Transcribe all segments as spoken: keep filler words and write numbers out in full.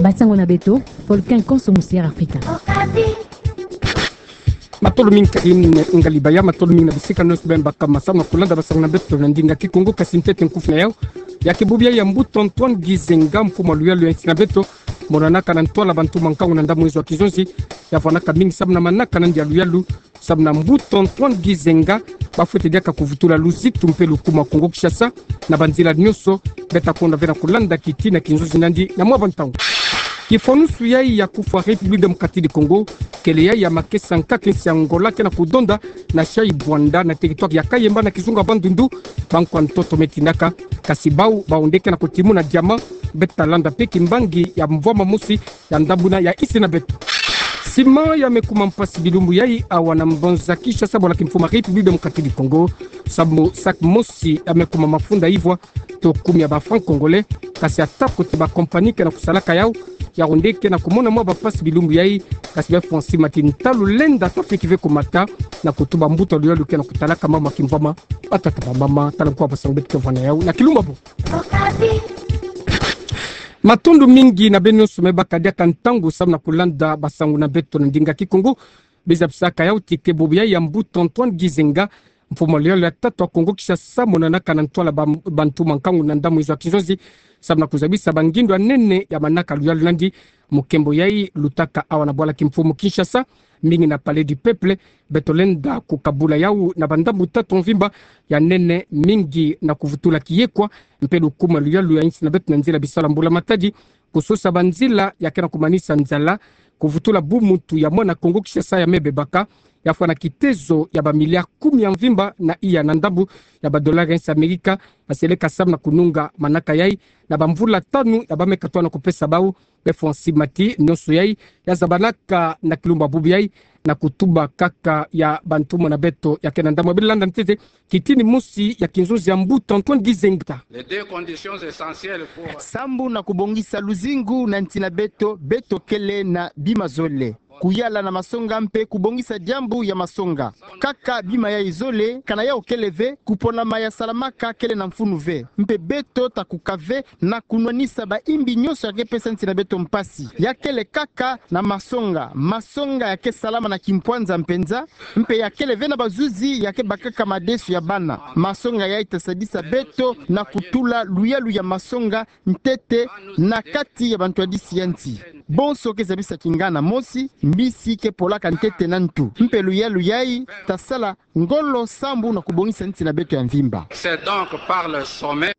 Basango na beto, Volcan Konso Musière Afrika. Matondo mingi kadi ngali baya, matondo mingi na bisika nionso beno baka ma samu na kulanda basango na beto na ndinga Kikongo. Kasi ntete nkufi na yau, ya ke bubu yayi ya Mbuta Antoine Gizenga, mfumu wa luyalu ya nsi na beto, monanaka na ntwala bantu mankangu na ndambu nzo ya kizonzi, ya vwanaka mingi samu na manaka nandi ya luyalu, samu na Mbuta Antoine Gizenga, ba fwete diaka kuvutula luzitu mpe lukumu ya Kongo Kinshasa na banzila nionso. Beta konda ve na kulanda kiti na kinzonzi nandi na mwa bantangu. Kifwanusu yayi ya kufwa République Démocratique du Congo, kele yayi ya makesa nkaka nsi ya Angola ke na kudonda na Chaibanda na territoire ya Kayemba na kizunga Bandundu, bankwa ntoto me tindaka. Kasi bau, bau nde ke na kutimuna diamant. Beta landa mpe kimbangi ya mvwama mosi ya ndambu na ya nsi na beto. Ciment ya me kuma mpasi bilumbu yayi awa na mbanza Kinshasa, bwala kimfumu ya République Démocratique du Congo, samu sac mosi ya me kuma mafunda ivwa to kumi ya ba francs congolais. Kasi ata kote ba compagnie ke na kusalaka yau, yau nde ke na kumona mwa bampasi bilumbu yayi. Kasi befwa nsi mati ntalu lenda ta fiki ve kumata na kutuba mbuta luyalu ke na kutalaka mama kimvwama. Batata, bamama, tala nkwa basango beto ke vwa na yau na kilumbu ya bo. Matondo mingi na beno nionso me baka diaka ntangu samu na kulanda basango na beto na ndinga Kikongo. Bizabisaka yau ti ke bubu yayi ya Mbuta Antoine Gizenga, mfumu wa luyalu ya tatu ya Kongo Kinshasa, monanaka na ntwala ba-, bantu mankangu na ndambu nzo ya kizonzi, samu na kuzabisa bangindu ya nene ya manaka luyalu nandi. Mukembo yayi lutaka awa na bwala kimfumu Kinshasa, mingi na Palais du Peuple. Beto lenda kukabula yau na bandambu tatu ya mvimba. Ya nene, mingi na kuvutula kiyekwa mpe lukumu ya luyalu ya nsi na beto na nzila bisalu ya mbula matadi, kusosa banzila ya ke na kumanisa nzala, kuvutula bumuntu ya mwana Kongo Kinshasa ya me bebaka. Ya fwana kitezo ya ba milliards kumi ya mvimba na iya na ndambu ya ba dollars ya nsi Amerika, ya seleka samu na kununga manaka yayi na bamvula tanu ya ba me katuka na kupesa bau. Befwa nsi mati nionso yayi ya zabanaka na kilumbu ya bubu yayi na kutuba kaka ya bantu mona beto ya ke na ndambu. Beno landa ntete kitini mosi ya kinzonzi ya Mbuta Antoine Gizenga. Les deux conditions essentielles pour... Sambu na kubongisa luzingu na nsi na beto, beto kele na bima zole: kuyala na masonga mpe kubongisa diambu ya masonga. Kaka bima yayi zole, kana yau kele ve, kuponama ya salamaka kele na mfunu ve. Mpe beto ta kuka ve na kunwanisa baimbi nionso ya ke pesa nsi na beto mpasi. Ya kele kaka na masonga. Masonga ya ke salama na kimpwanza mpenza, mpe ya kele ve na bazuzi ya ke bakaka madesu ya bana. Masonga yayi ta sadisa beto na kutula luyalu ya masonga ntete na kati ya bantwadisi ya nsi. Bonso ke zabisa kingana mosi, mbisi ke polaka ntete na ntu. Mpe luyalu yayi ta sala ngolo sambu na kubongisa nsi na beto ya mvimba. C'est donc par le sommet.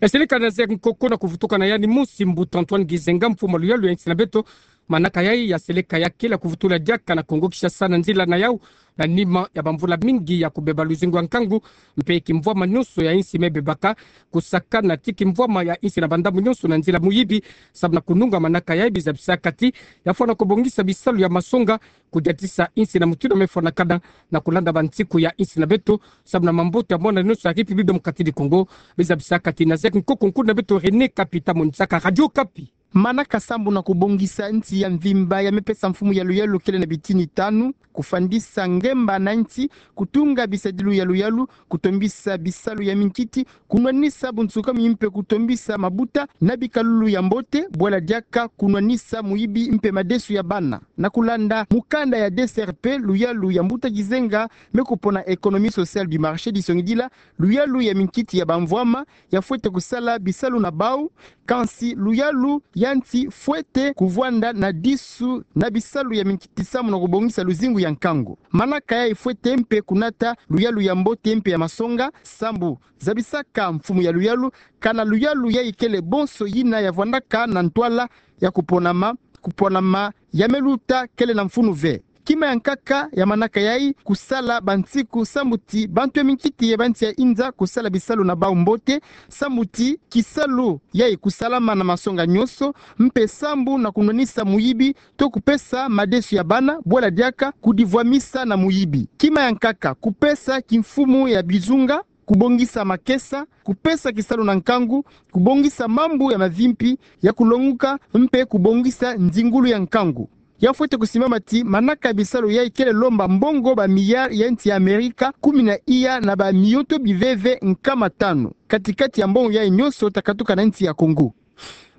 Esili kana zek nkoko na kuvutuka na yandi mosi Mbuta Antoine Gizenga, mfumu wa luyalu ya nsi na beto. Manaka yayi ya seleka ya kele ya kuvutula diaka na Kongo Kinshasa na nzila na yau, na nima ya bamvula mingi ya kubeba luzingu ya nkangu, mpe kimvwama nionso ya nsi me bebaka, kusakana ti kimvwama ya nsi na bandambu nionso na nzila muyibi, samu na kununga manaka yayi. Bizabisaka ti ya fwana kubongisa bisalu ya masonga, kudiatisa nsi na mutindu ya me fwanakana na kulanda bansiku ya nsi na beto, samu na mambote ya mwana nionso ya République Démocratique du Congo. Bizabisaka ti na zek nkoko nkulu na beto René Kapi ta monisaka Radio Kapi. Manaka sambu na kubongisa nsi ya mvimba ya me pesa mfumu ya luyalu kele na bitini tanu: kufandisa ngemba na nsi, kutunga bisadilu ya luyalu, kutombisa bisalu ya minkiti, kunwanisa bunsukami mpe kutombisa mabuta na bikalulu ya mbote, bwala diaka kunwanisa muyibi mpe madesu ya bana. Na kulanda mukanda ya D C R P, luyalu ya Mbuta Gizenga me kupona économie sociale du marché, disongidila luyalu ya minkiti ya bamvwama, ya fwete kusala bisalu na bau. Kansi luyalu ya nsi fwete kuvwanda na disu na bisalu ya minkiti samu na kubongisa luzingu ya nkangu. Manaka yayi fwete mpe kunata luyalu ya mbote mpe ya masonga, sambu zabisaka mfumu ya luyalu, kana luyalu yayi kele bonso yina ya vwandaka na ntwala ya kuponama, kuponama ya me luta kele na mfunu ve. Kima ya nkaka ya manaka yayi: kusala bansiku sambu ti bantu ya minkiti ya bansi ya inza kusala bisalu na bau mbote, sambu ti kisalu yayi kusalama na masonga nionso, mpe sambu na kunwanisa muyibi to kupesa madesu ya bana, bwala diaka kudivwamisa na muyibi. Kima ya nkaka: kupesa kimfumu ya bizunga, kubongisa makesa, kupesa kisalu na nkangu, kubongisa mambu ya mavimpi, ya kulonguka, mpe kubongisa nzingulu ya nkangu. Ya fwete kusimbama ti manaka ya bisalu yayi kele lomba mbongo ba milliards ya nsi ya Amerika kumi na iya na ba miyoto biveve nkama tanu. Kati-kati ya mbongo yayi nionso ta katuka na nsi ya Congo.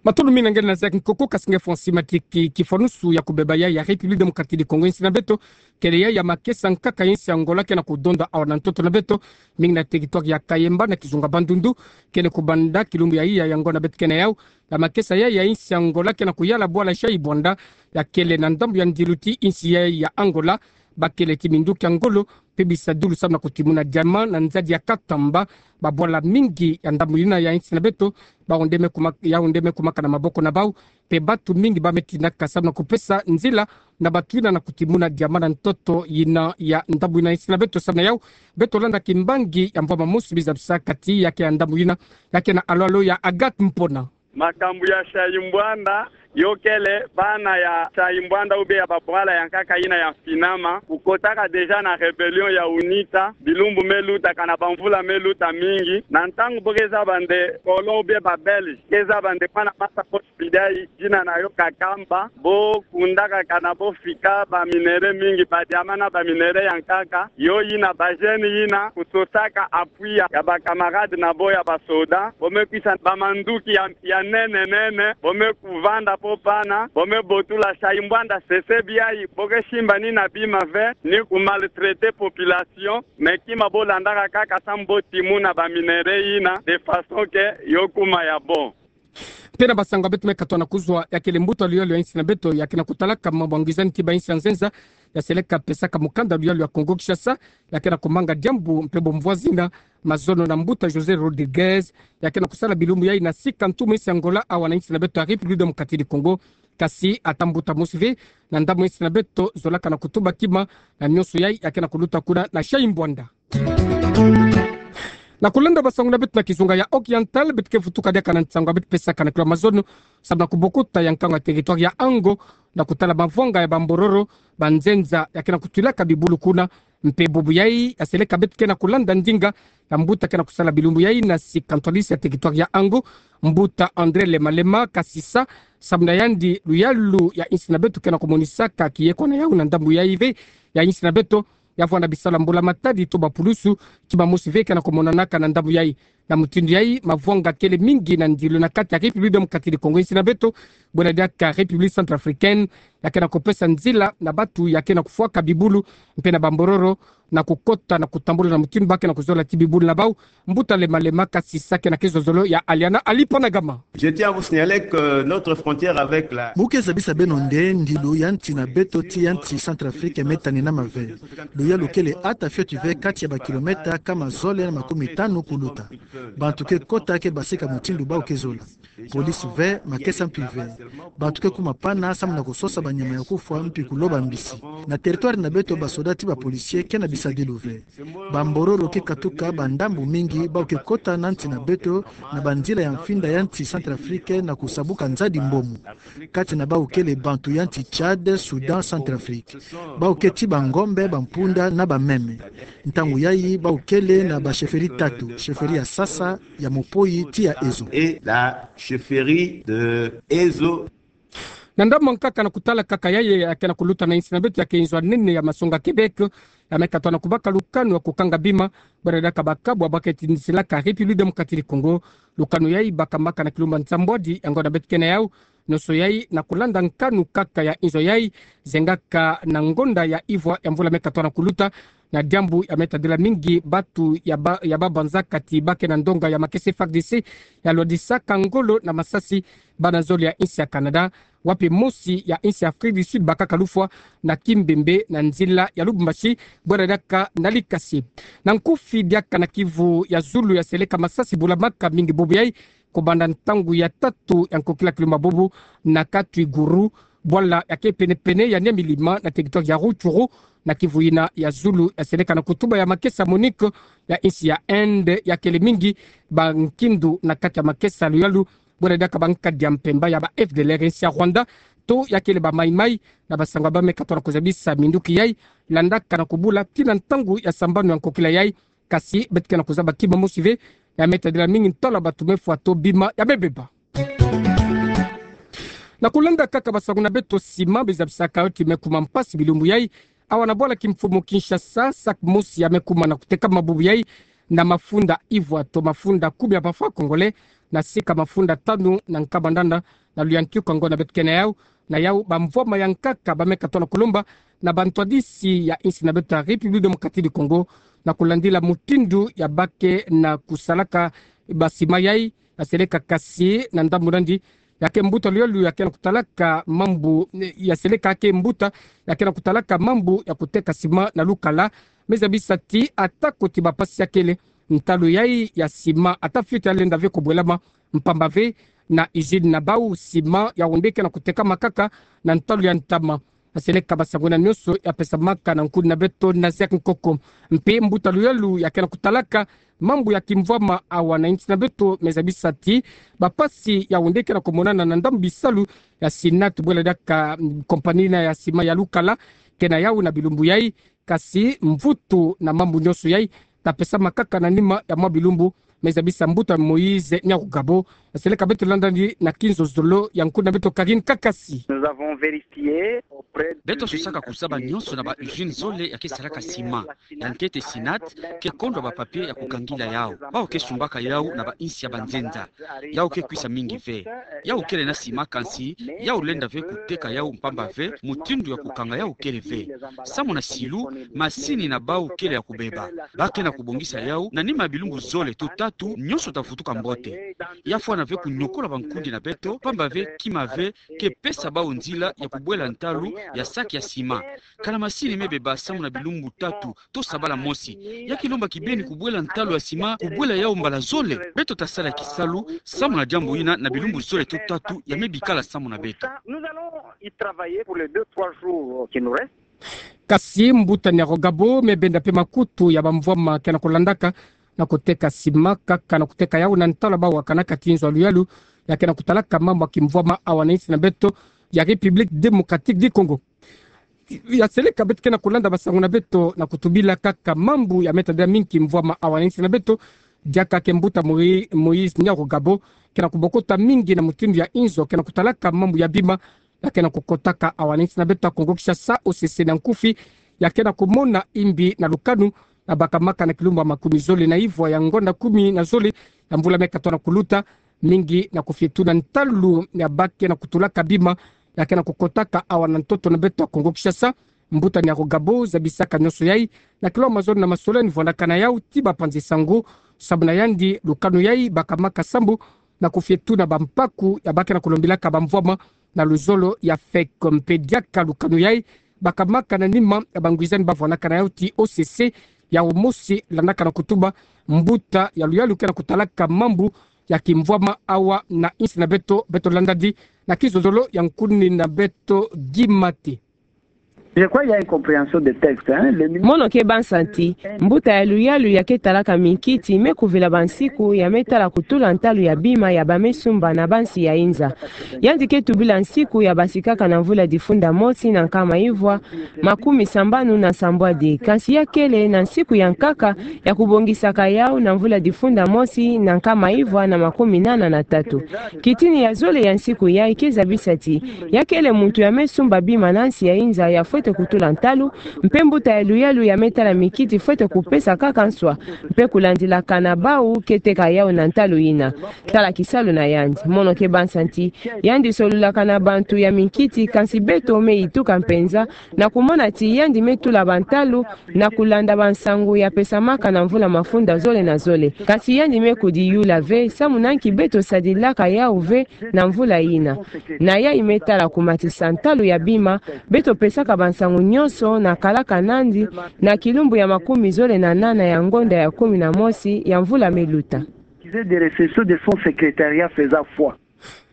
Matondo mingi na nge na Zach Nkoko, kasi nge Francis Matiki. Kifwanusu ya kubeba yai ya République Démocratique du Congo, insi na beto, kele yai ya makesa nkaka ya insi Angola ke na kudonda awa na ntoto na beto, mingi na territoire ya Kayemba na kizunga Bandundu, kele kubanda kilumbu ya iya ya ngonda beto ke na yau, ya makesa yai ya insi Angola ke na kuyala bwala Shai Bwanda, ya kele na ndambu ya ndilu ti insi yai ya Angola, bakele ti minduki ya ngolo, mpe bisadulu samu na kutimuna diamant na nzadi ya Katamba, babwala mingi ya ndambu yina ya insi na beto, baonde me kuma-, yaonde me kumaka na maboko na bau, mpe bantu mingi ba me tinaka samu na kupesa nzila na bantu yina na kutimuna diamant na ntoto yina ya ndambu yina ya insi na beto. Samu na yau, beto landa kimbangi ya mvwama mosi bizabisa kati ya ke ya ndambu yina, ya ke na alo-alo ya Agathe Mpona. Makambu ya Shai Bwanda, yo kele bana ya Shai Bwanda ou bien ya babwala ya nkaka yina ya mfinama, kukotaka déjà na rébellion ya UNITA, bilumbu me lutaka na bamvula me luta mingi, na ntangu bo ke zaba nde colon ou bien ba Belge ke zaba nde mwana masa ko sipidi yai, dina na yo Kakamba, bo kundaka kana bo fika ba minerais mingi, ba diamant na ba minerais ya nkaka, yo yina ba jeunes yina kutosaka appui ya, ya ba camarades na bo ya ba soda, bo me kwisa ba manduki ya, ya nene nene, bo me kuvanda po pana, bo me botula Shai Bwanda sesebi yai, bo ke simba ni na bima ve, ni ku maltraiter population, mais kima bo landaka kaka samu bo timuna ba minerais yina, de façon que yo kuma ya bon. Mpe na basango ya beto me katoa na kuzwa, ya kele mbuta luyalu ya insi na beto, ya ke na kutalaka mambu ya ngwizani ti ba insi ya nzenza, ya seleka pesaka mukanda luyalu ya Congo Kinshasa, ya ke na kumanga diambu mpe bomvwa zina, mazono na mbuta José Rodrigues, ya ke na kusala bilumbu yai na sika ntumu insi Angola awa na insi na beto ya République Démocratique du Congo, kasi ata mbuta mosi ve na ndambu insi na beto zolaka na kutuba kima na nionso yai ya ke na kuluta kuna na Shai Bwanda. Na kulenda basango na beto na kizunga ya Oriental, beto ke vutuka diaka na nsango ya beto pesaka na kilo ya mazono, samu na kubokuta ya nkangu ya territoire ya Ango, na kutala mavwanga ya bambororo, banzenza ya ke na kutwilaka bibulu kuna, mpe bubu yai ya seleka beto ke na kulanda ndinga ya mbuta ke na kusala bilumbu yai na sika ntwadisi ya territoire ya Ango, mbuta André Lema Lema Kasisa, samu na yandi luyalu ya insi na beto ke na kumonisaka kiyeko na yau na ndambu yai ve ya insi na beto, ya vwanda bisalu ya mbula matadi to bapulusu, kima mosi ve ke na kumonanaka na ndambu yai. Na mutindu yai, mavwanga kele mingi na ndilu na kati ya République Démocratique du Congo, insi na beto, bwela diaka République Centrafricaine, ya ke na kupesa nzila na bantu ya ke na kufwaka bibulu, mpe na bambororo, na kukota na kutambula na mutindu ba ke na kuzola ti bibulu na bau. Mbuta Lema Lema Kasisa ke na kizozolo ya Aliana Ali Panagama. Je tiens à vous signaler que notre frontière avec la Mu ke zabisa beno nde ndilu ya nti na beto ti ya nti Centrafrique me tanenama ve. Luyalu kele ata fioti ve kati ya bakilomètre kama zole na makumi tanu kuluta. Bantu ke kota ke basika mutindu bau ke zola. Police ve, makesa mpi ve. Bantu ke kuma pana samu na kusosa banyama ya kufwa mpi kuloba mbisi. Na territoire na beto basoda ti bapolicier ke na bisadilu ve. Bambororo ke katuka bandambu mingi bau ke kota na nti na beto na banzila ya mfinda ya nti Centrafrique na kusabuka nzadi mbomu. Kati na bau kele bantu ya nti Tchad, Soudan, Centrafrique. Bau ke ti bangombe, bampunda na bameme. Ntangu yai bau kele na ba chefferie tatu, chefferie ya Sasa, ya Mopoyi, ti ya Ezo. Et la chefferie de Ezo. Na ndambu nkaka na kutala kaka yai ya ke na kuluta na insi na beto ya ke inzo ya nene ya masonga Québec, ya me katoa na kubaka lukanu ya kukanga bima, bwera diaka bakabwa ba ke tindisilaka République Démocratique du Congo. Lukanu yai bakambaka na kilumbu ya nsambwadi ya ngonda beto ke na yau, nionso yai na kulanda nkanu kaka ya inzo yai, zengaka na ngonda ya ivwa ya mvula me katoa na kuluta, na diambu ya me tadila mingi bantu ya ba, ya babanza kati ba ke na ndonga ya makesa F A R D C, ya lwadisaka ngolo na masasi bana zole ya insi ya Canada, wapi mosi ya insi ya Afrique du Sud bakaka lufwa na Kimbembe na nzila ya Lubumbashi, bwera diaka na Likasi. Na nkufi diaka na kivu ya zulu ya seleka masasi bula maka mingi bubu yai, kubanda ntangu ya tatu ya nkokila kilumbu bubu na Katwiguru, bwala ya ke pene-pene ya Nyamilima na territoire ya Rutshuru, na kivu yina ya zulu ya seleka na kutuba ya makesa MONUC ya insi ya Inde ya kele mingi bankindu na kati ya makesa luyalu, bwera diaka bankadi ya mpemba ya ba F D L R ya insi ya Rwanda, to ya kele ba Mai Mai, na basango ba me katoa na kuzabisa minduki yai, landaka na kubula tii na ntangu ya sambanu ya nkokila yai, kasi beto ke na kuzaba kima mosi ve, ya me tadila mingi ntwala bantu me fwa to bima ya me beba. Na kulenda kaka basango na beto, sima bizabisaka yo ti me kuma mpasi bilumbu yai, awa na bwala kimfumu Kinshasa, sac mosi ya me kuma na kutekama bubu yai, na mafunda ivwa to mafunda kumi ya ba francs congolais, na sika mafunda tanu na nkama nana, na luyantiuka ngonda beto kena yau. Na yau bamvwama ya nkaka ba me katoa na kulomba na bantwadisi ya insi na beto ya République Démocratique du Congo, na kulandila mutindu ya ba ke na kusalaka ba ciment yai, ya seleka kasi na ndambu nandi, ya ke mbuta luyalu ya ke na kutalaka mambu, ya seleka ke mbuta ya ke na kutalaka mambu ya kuteka ciment na lukala, me zabisa ti atako ti bapasi ya kele, ntalu yai ya ciment ata fioti ya lenda ve kobwelama, mpamba ve na usine na bau ciment ya onde ke na kutekama kaka na ntalu ya ntama. Ya seleka ba sango yina nyonso ya pesamaka na nkundi na beto na Zek Nkoko. Mpe mbuta luyalu ya ke na kutalaka mambu ya kimvwama awa na insi na beto me zabisa ti bapasi ya onde ke na komonana na ndambu bisalu ya Sinat, bwela diaka, mm, compagnie na ya ciment ya lukala, kena yau na bilumbu yai, kasi mvutu na mambu nyonso yai ta pesama kaka na nima ya mwa bilumbu, me zabisa mbuta Moïse Nyarugabo. Ya seleka beto landa nandi na kinzonzolo ya nkundi na beto Karine Kakasi. Nous avons vérifié auprès du... Beto sosaka kuzaba nyonso na ba usine zole ya ke salaka ciment. Ya nkete Sinat ke kondwa ba papier ya kukangila yau. Bau ke sumbaka yau na ba insi ya banzenza. Yau ke kwisa mingi ve. Yau kele na ciment kansi yau lenda ve kuteka yau mpamba ve mutindu ya kukanga yau kele ve. Samu na silu, masini na bau kele ya kubeba. Ba ke na kubongisa yau na nima ya bilumbu zole to tatu, nyonso ta vutuka mbote. Ya fwana ve kunyokola bankundi na beto, mpamba ve kima ve ke pesa bau nzila ya kubwela ntalu ya sac ya ciment. Kana masini me beba samu na bilumbu tatu to sabala mosi. Ya ke lomba kibeni kubwela ntalu ya ciment, kubwela yau mbala zole. Beto ta sala kisalu samu na diambu yina na bilumbu zole to tatu ya me bikala samu na beto. Nous allons y travailler pour les deux, trois jours qui nous restent. Kasi mbuta Nyarugabo me benda mpe makutu ya bamvwama ke na kulandaka na kuteka ciment, kaka na kuteka yau na ntalu ya bau wakanaka ti nzo ya luyalu ya ke na kutalaka mambu ya kimvwama awa na insi na beto ya République Démocratique du Congo. Ya seleka beto ke na kulanda ba sango na beto na kutubila kaka mambu ya me tadila mingi kimvwama awa na insi na beto, diaka ke mbuta Moï-, Moïse Nyarugabo ke na kubokota mingi na mutindu ya inzo ke na kutalaka mambu ya bima ya ke na kukotaka awa na insi na beto ya Congo Kinshasa. O C C na nkufi ya ke na kumona imbi na lukanu na bakamaka na kilumbu ya makumi zole na ivwa ya ngonda kumi na zole ya mvula me katoa na kuluta, mingi na kufietuna ntalu ya ba ke na kutulaka bima ya ke na kukotaka awa na ntoto na beto ya Congo Kinshasa. Mbuta Nyarugabo zabisaka nyonso yai na kilomba zole na masolani vwandaka na yau ti bapanzi sango. Samu na yandi, lukanu yai bakamaka sambu na kufietuna bampaku ya ba ke na kulombilaka bamvwama na luzolo ya fek. Mpe diaka lukanu yai bakamaka na nima ya bangwizani bavwandaka na yau ti O C C, yau mosi landaka na kutuba mbuta ya luyalu ke na kutalaka mambu ya kimvwama awa na insi na beto. Beto landa nandi na kizozolo ya nkundi na beto Guy Mate. Je crois il y a une compréhension des textes, hein. Le ministre... Mono ke bansa ti mbuta ya luyalu ya ke talaka minkiti me kuvila bansiku ya me tala kutula ntalu ya bima ya ba me sumba na bansi ya inza. Yandi ke tubila nsiku ya basikaka na mvula difunda mosi na nkama ivwa makumi sambanu na nsambwadi, kansi ya kele na nsiku ya nkaka ya kubongisaka yau na mvula difunda mosi na nkama ivwa na makumi nana na tatu. Kitini ya zole ya nsiku yai ke zabisa ti ya kele muntu ya me sumba bima na nsi ya inza ya fwete kutula ntalu, mpe mbuta ya luyalu ya me tala minkiti fwete kupesa kaka nswa mpe kulandilakana bau ke teka yau na ntalu yina. Tala kisalu na yandi. Mono ke bansa ti yandi solulaka na bantu ya minkiti, kansi beto me yituka mpenza na kumona ti yandi me tula bantalu na kulanda bansangu ya pesamaka na mvula mafunda zole na zole. Kansi yandi me kudiyula ve samu na nki beto sadilaka yau ve na mvula yina. Na yai me tala kumatisa ntalu ya bima, beto pesaka bansangu nyonso na kalaka nandi na kilumbu ya makumi zole na nana ya ngonda ya kumi na mosi ya mvula me luta. Accusé de réception de son secrétariat faisant foi.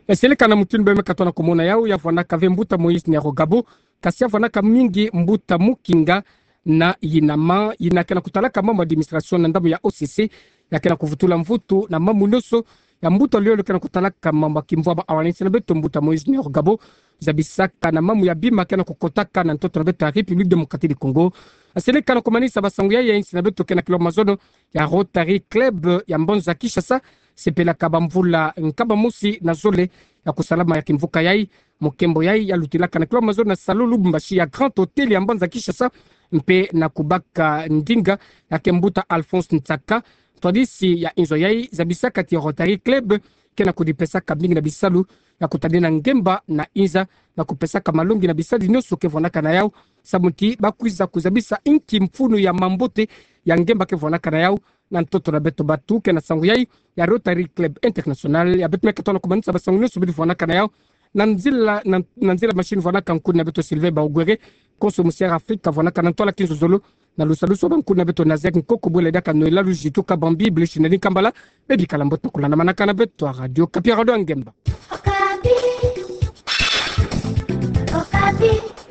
Eseleka na mutindu bê me katoa na kumona yau, ya vwandaka ve mbuta Moïse Nyarugabo, kasi ya vwandaka mingi mbuta Mukinga na Yinama, yina ke na kutalaka mambu administration na ndambu ya O C C, ya ke na kuvutula mvutu na mambu nyonso ya mbuta lolo ke na kutalaka mambu ya kimvwama awa na insi na beto, mbuta Moïse Nyarugabo, zabisaka na mambu ya bima ke na kukotaka na ntoto na beto ya République Démocratique du Congo. Eseleka na kumanisa basangu ya, ya insi na beto ke na kilomba mazono ya Rotary Club ya mbanza Kinshasa, sepelaka bamvula nkama mosi na zole ya kusalama ya kimvuka yai. Mokembo yai ya lutilaka na kilomba mazono na salon Lubumbashi ya Grand Hôtel ya mbanza Kinshasa, mpe na kubaka ndinga ya ke mbuta Alphonse Nsaka, Twadisi ya inzo yai zabisaka ti Rotary Club ke na kudipesaka mingi na bisalu ya kutadina ngemba na inza, na kupesaka malongi na bisalu nyonso ke vwanaka na yau, samu ti bakwiza kuzabisa inki mfunu ya mambote ya ngemba ke vwanaka na yau na ntoto na beto batu. Ke na sango yai ya Rotary Club International ya beto me ke tona kumanisa basango nyonso bidi vwanaka na yau na nzila, na, na nzila machine vwanaka nkuna beto Sylvain Baogwere, konso Musière Afrique vwanaka na ntwala kinzozolo, na lusalusu wa bankuna beto Naziak Nkoko, bwela diaka Noëlla Luzito Kabambi, Bluche Nani Kambala, bebikala mbote, kulana manaka na beto a Radio Okapi, a radio ya ngemba. Okapi. Okapi.